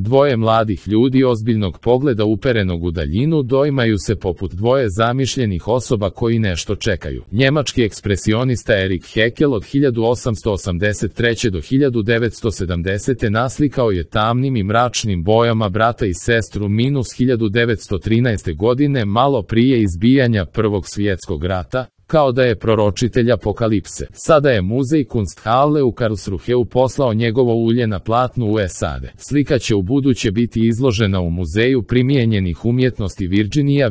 Dvoje mladih ljudi ozbiljnog pogleda uperenog u daljinu doimaju se poput dvoje zamišljenih osoba koji nešto čekaju. Njemački ekspresionista Erich Heckel od 1883. do 1970. naslikao je tamnim i mračnim bojama brata i sestru minus 1913. godine malo prije izbijanja Prvog svjetskog rata, kao da je proročitelj apokalipse. Sada je muzej Kunsthalle u Karlsruheu poslao njegovo ulje na platnu u SAD. Slika će ubuduće biti izložena u Muzeju primijenjenih umjetnosti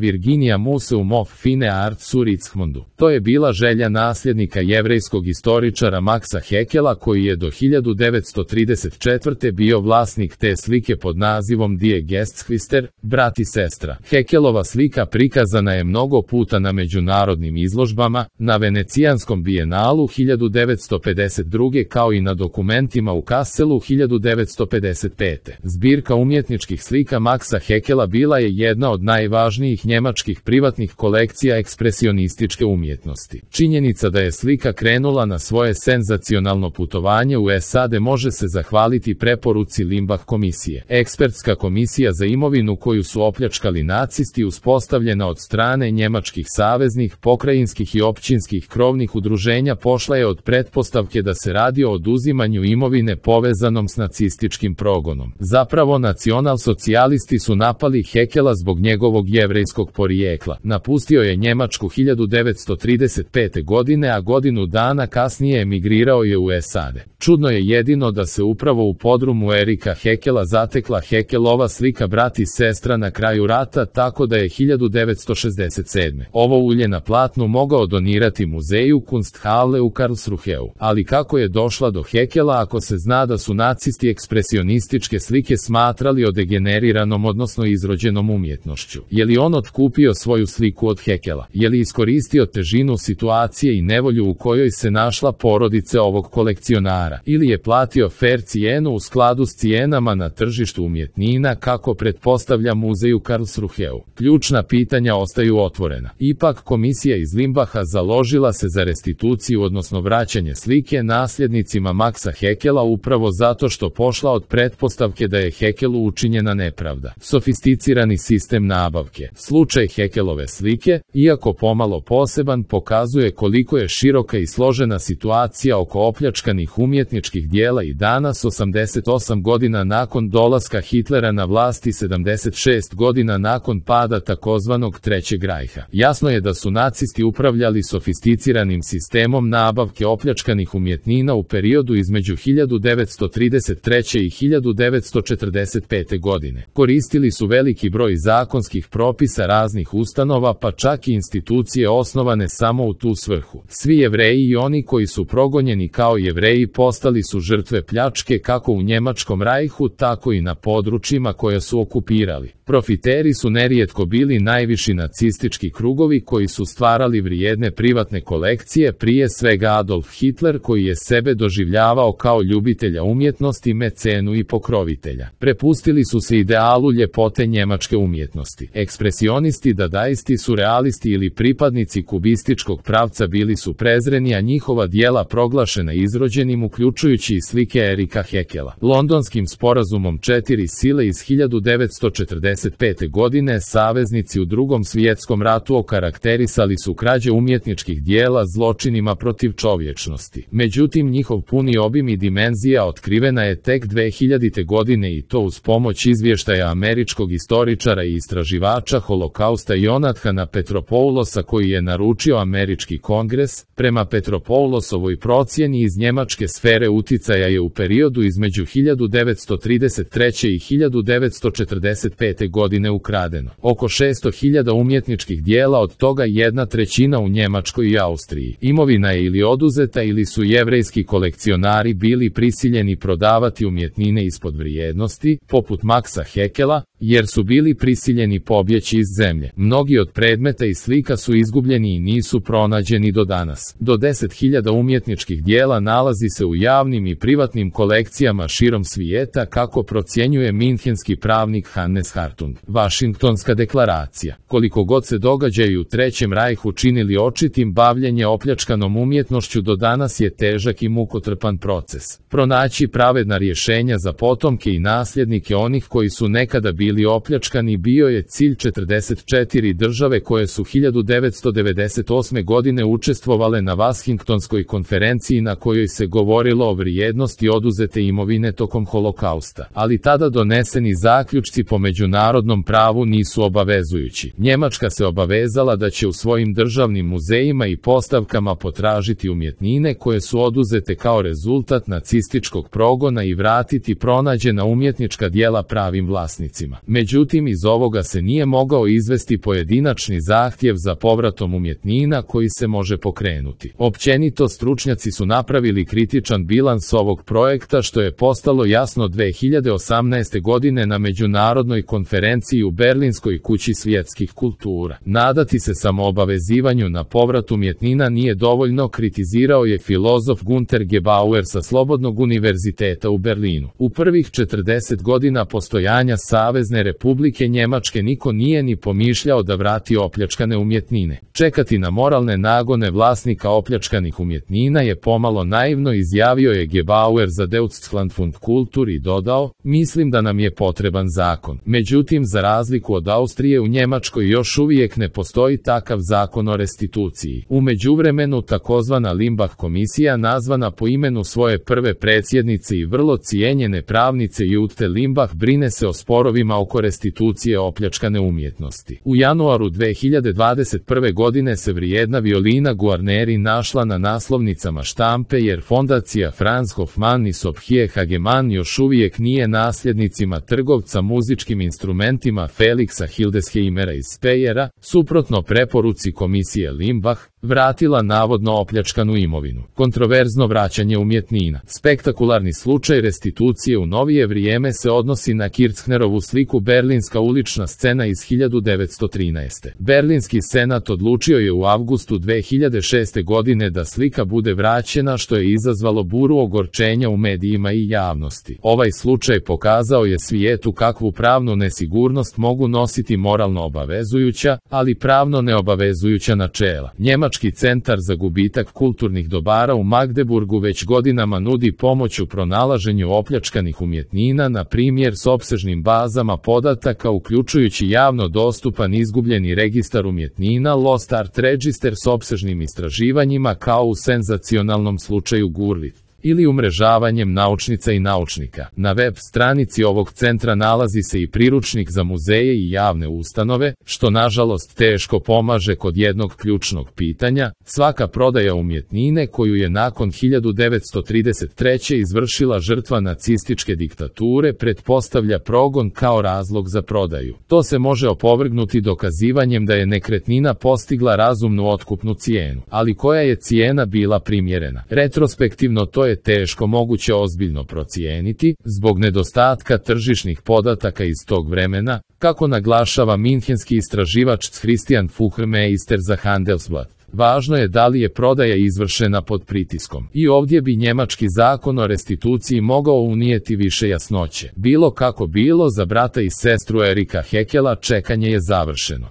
Virginia Museum of Fine Arts u Richmondu. To je bila želja nasljednika jevrejskog istoričara Maxa Heckela, koji je do 1934. bio vlasnik te slike pod nazivom Die Gestschwister, brat i sestra. Heckelova slika prikazana je mnogo puta na međunarodnim izložbama, na Venecijanskom bijenalu 1952. kao i na dokumentima u Kasselu 1955. Zbirka umjetničkih slika Maxa Heckela bila je jedna od najvažnijih njemačkih privatnih kolekcija ekspresionističke umjetnosti. Činjenica da je slika krenula na svoje senzacionalno putovanje u SAD može se zahvaliti preporuci Limbach komisije. Ekspertska komisija za imovinu koju su opljačkali nacisti uspostavljena od strane njemačkih saveznih, pokrajinskih i općinskih krovnih udruženja pošla je od pretpostavke da se radi o oduzimanju imovine povezanom s nacističkim progonom. Zapravo nacionalsocijalisti su napali Heckela zbog njegovog jevrejskog porijekla. Napustio je Njemačku 1935. godine, a godinu dana kasnije emigrirao je u SAD. Čudno je jedino da se upravo u podrumu Ericha Heckela zatekla Heckelova slika brat i sestra na kraju rata, tako da je 1967. ovo ulje na platnu mogao donirati muzeju Kunsthalle u Karlsruheu. Ali kako je došla do Heckela ako se zna da su nacisti ekspresionističke slike smatrali odegeneriranom odnosno izrođenom umjetnošću? Je li on otkupio svoju sliku od Heckela? Je li iskoristio težinu situacije i nevolju u kojoj se našla porodica ovog kolekcionara? Ili je platio fair cijenu u skladu s cijenama na tržištu umjetnina kako pretpostavlja muzej u Karlsruheu? Ključna pitanja ostaju otvorena. Ipak komisija iz Limbacha založila se za restituciju odnosno vraćanje slike nasljednicima Maxa Heckela upravo zato što pošla od pretpostavke da je Heckelu učinjena nepravda. Sofisticirani sistem nabavke. Slučaj Heckelove slike, iako pomalo poseban, pokazuje koliko je široka i složena situacija oko opljačkanih umjetničkih dijela i danas 88 godina nakon dolaska Hitlera na vlast i 76 godina nakon pada takozvanog Trećeg rajha. Jasno je da su nacisti upravljali sofisticiranim sistemom nabavke opljačkanih umjetnina u periodu između 1933. i 1945. godine. Koristili su veliki broj zakonskih propisa raznih ustanova, pa čak i institucije osnovane samo u tu svrhu. Svi Jevreji i oni koji su progonjeni kao Jevreji postali su žrtve pljačke kako u Njemačkom rajhu, tako i na područjima koja su okupirali. Profiteri su nerijetko bili najviši nacistički krugovi koji su stvarali vrijedne privatne kolekcije, prije svega Adolf Hitler, koji je sebe doživljavao kao ljubitelja umjetnosti, mecenu i pokrovitelja. Prepustili su se idealu ljepote njemačke umjetnosti. Ekspresionisti, dadaisti, surrealisti ili pripadnici kubističkog pravca bili su prezreni, a njihova dijela proglašena izrođenim, uključujući i slike Ericha Heckela. Londonskim sporazumom 4 sile iz 1945. godine saveznici u Drugom svjetskom ratu okarakterisali su krađe umjetničkih dijela zločinima protiv čovječnosti. Međutim, njihov puni obim i dimenzija otkrivena je tek 2000. godine i to uz pomoć izvještaja američkog istoričara i istraživača holokausta Jonathana Petropoulosa, koji je naručio američki kongres. Prema Petropoulosovoj procjeni iz njemačke sfere uticaja je u periodu između 1933. i 1945. godine ukradeno oko 600.000 umjetničkih dijela, od toga 1/3 u Njemačkoj i Austriji. Imovina je ili oduzeta ili su jevrejski kolekcionari bili prisiljeni prodavati umjetnine ispod vrijednosti, poput Maxa Heckela, jer su bili prisiljeni pobjeći iz zemlje. Mnogi od predmeta i slika su izgubljeni i nisu pronađeni do danas. Do 10.000 umjetničkih dijela nalazi se u javnim i privatnim kolekcijama širom svijeta, kako procjenjuje minhenski pravnik Hannes Hartung. Vašingtonska deklaracija. Koliko god se događaji u Trećem rajhu činili očitim, bavljenje opljačkanom umjetnošću do danas je težak i mukotrpan proces. Pronaći pravedna rješenja za potomke i nasljednike onih koji su nekada bili opljačkani bio je cilj 44 države koje su 1998. godine učestvovale na Vašingtonskoj konferenciji na kojoj se govorilo o vrijednosti oduzete imovine tokom holokausta. Ali tada doneseni zaključci po međunarodnom pravu nisu obavezujući. Njemačka se obavezala da će u svojim državnim muzejima i postavkama potražiti umjetnine koje su oduzete kao rezultat nacističkog progona i vratiti pronađena umjetnička djela pravim vlasnicima. Međutim, iz ovoga se nije mogao izvesti pojedinačni zahtjev za povratom umjetnina koji se može pokrenuti. Općenito, stručnjaci su napravili kritičan bilans ovog projekta, što je postalo jasno 2018. godine na međunarodnoj konferenciji u Berlinskoj kući svjetskih kultura. Nadati se samoobavezivanju na povrat umjetnina nije dovoljno, kritizirao je filozof Günter Gebauer sa Slobodnog univerziteta u Berlinu. U prvih 40 godina postojanja Savezne Republike Njemačke niko nije ni pomišljao da vrati opljačkane umjetnine. Čekati na moralne nagone vlasnika opljačkanih umjetnina je pomalo naivno, izjavio je Gebauer za Deutschland Fund Kultur i dodao: mislim da nam je potreban zakon. Međutim, za razliku od Austrije, u Njemačkoj još uvijek ne postoji takav zakon o restituciji. U međuvremenu takozvana Limbach komisija, nazvana po imenu svoje prve predsjednice i vrlo cijenjene pravnice Jute Limbach, brine se o sporovima oko restitucije opljačkane umjetnosti. U januaru 2021. godine se vrijedna violina Guarneri našla na naslovnicama štampe, jer fondacija Franz Hofmann i Sophie Hagemann još uvijek nije nasljednicima trgovca muzičkim instrumentima Felixa Hildesheimera iz Speyera, suprotno preporuci komisije Limbach, vratila navodno opljačkanu imovinu. Kontroverzno vraćanje umjetnina. Spektakularni slučaj restitucije u novije vrijeme se odnosi na Kirchnerovu sliku Berlinska ulična scena iz 1913. Berlinski senat odlučio je u avgustu 2006. godine da slika bude vraćena, što je izazvalo buru ogorčenja u medijima i javnosti. Ovaj slučaj pokazao je svijetu kakvu pravnu nesigurnost mogu nositi moralno obavezujuća, ali pravno neobavezujuća načela. Njemački centar za gubitak kulturnih dobara u Magdeburgu već godinama nudi pomoć u pronalaženju opljačkanih umjetnina, na primjer s opsežnim bazama podataka, uključujući javno dostupan izgubljeni registar umjetnina Lost Art Register s opsežnim istraživanjima, kao u senzacionalnom slučaju Gurlitt, ili umrežavanjem naučnica i naučnika. Na web stranici ovog centra nalazi se i priručnik za muzeje i javne ustanove, što nažalost teško pomaže kod jednog ključnog pitanja: svaka prodaja umjetnine koju je nakon 1933. izvršila žrtva nacističke diktature pretpostavlja progon kao razlog za prodaju. To se može opovrgnuti dokazivanjem da je nekretnina postigla razumnu otkupnu cijenu. Ali koja je cijena bila primjerena? Retrospektivno to je teško moguće ozbiljno procijeniti, zbog nedostatka tržišnih podataka iz tog vremena, kako naglašava minhenski istraživač Christian Fuhrmeister za Handelsblatt. Važno je da li je prodaja izvršena pod pritiskom. I ovdje bi njemački zakon o restituciji mogao unijeti više jasnoće. Bilo kako bilo, za brata i sestru Erika Hekela čekanje je završeno.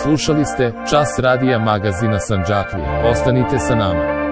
Slušali ste Čas radija magazina Sandžaklije. Ostanite sa nama.